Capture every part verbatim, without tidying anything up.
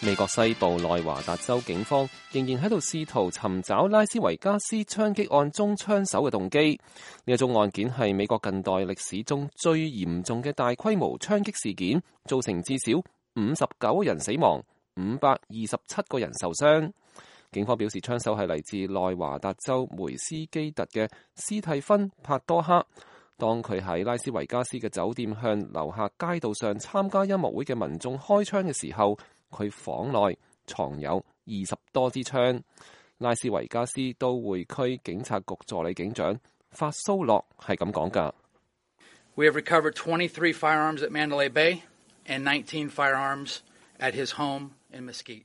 美國西部內華達州警方仍然喺度試圖尋找拉斯維加斯槍擊案中槍手嘅動機。呢一宗案件係美國近代歷史中最嚴重嘅大規模槍擊事件，造成至少五十九人死亡，五百二十七個人受傷。警方表示，槍手係嚟自內華達州梅斯基特嘅斯蒂芬·帕多克。當佢喺拉斯維加斯嘅酒店向樓下街道上參加音樂會嘅民眾開槍嘅時候，佢房內藏有二十多支槍。拉斯維加斯都會區警察局助理警長法蘇洛係咁講㗎。We have recovered twenty-three firearms at Mandalay Bay and nineteen firearms at his home in Mesquite.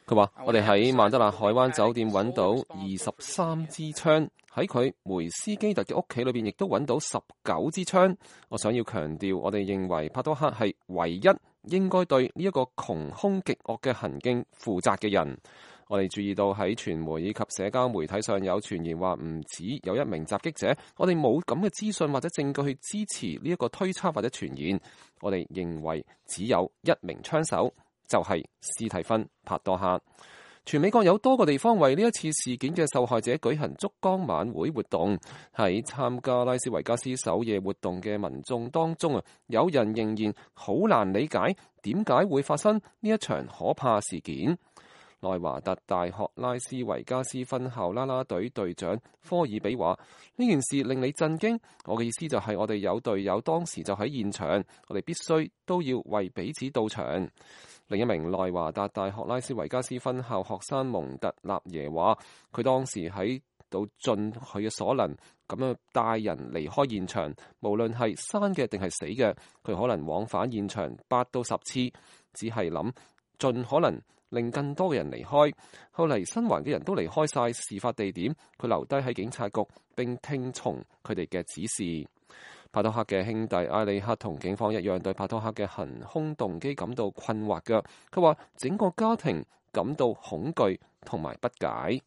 佢話：我哋喺曼德勒海灣酒店揾到二十三支槍，喺佢梅斯基特嘅屋企裏邊亦都揾到十九支槍。我想要強調，我哋認為帕多克係唯一應該對呢一個窮兇極惡嘅行徑負責嘅人。我哋注意到喺傳媒以及社交媒體上有傳言話唔止有一名襲擊者，我哋冇咁嘅資訊或者證據去支持呢一個推測或者傳言。我哋認為只有一名槍手，就係斯蒂芬·帕多克。全美國有多個地方為呢一次事件嘅受害者舉行燭光晚會活動。喺參加拉斯維加斯首夜活動嘅民眾當中啊，有人仍然好難理解點解會發生呢一場可怕事件。內華達大學拉斯維加斯分校啦啦隊隊長科爾比話：呢件事令你震驚。我嘅意思就係我哋有隊友當時就喺現場，我哋必須都要為彼此到場。另一名內華達大學拉斯維加斯分校學生蒙特納耶話：佢當時喺度盡佢嘅所能咁樣帶人離開現場，無論係生嘅定係死嘅，佢可能往返現場八到十次，只係諗盡可能令更多嘅人離開。後嚟生還嘅人都離開晒事發地點，佢留低喺警察局並聽從佢哋嘅指示。帕多克嘅兄弟埃里克同警方一樣，對帕多克嘅行兇動機感到困惑嘅。佢話整個家庭感到恐懼同埋不解。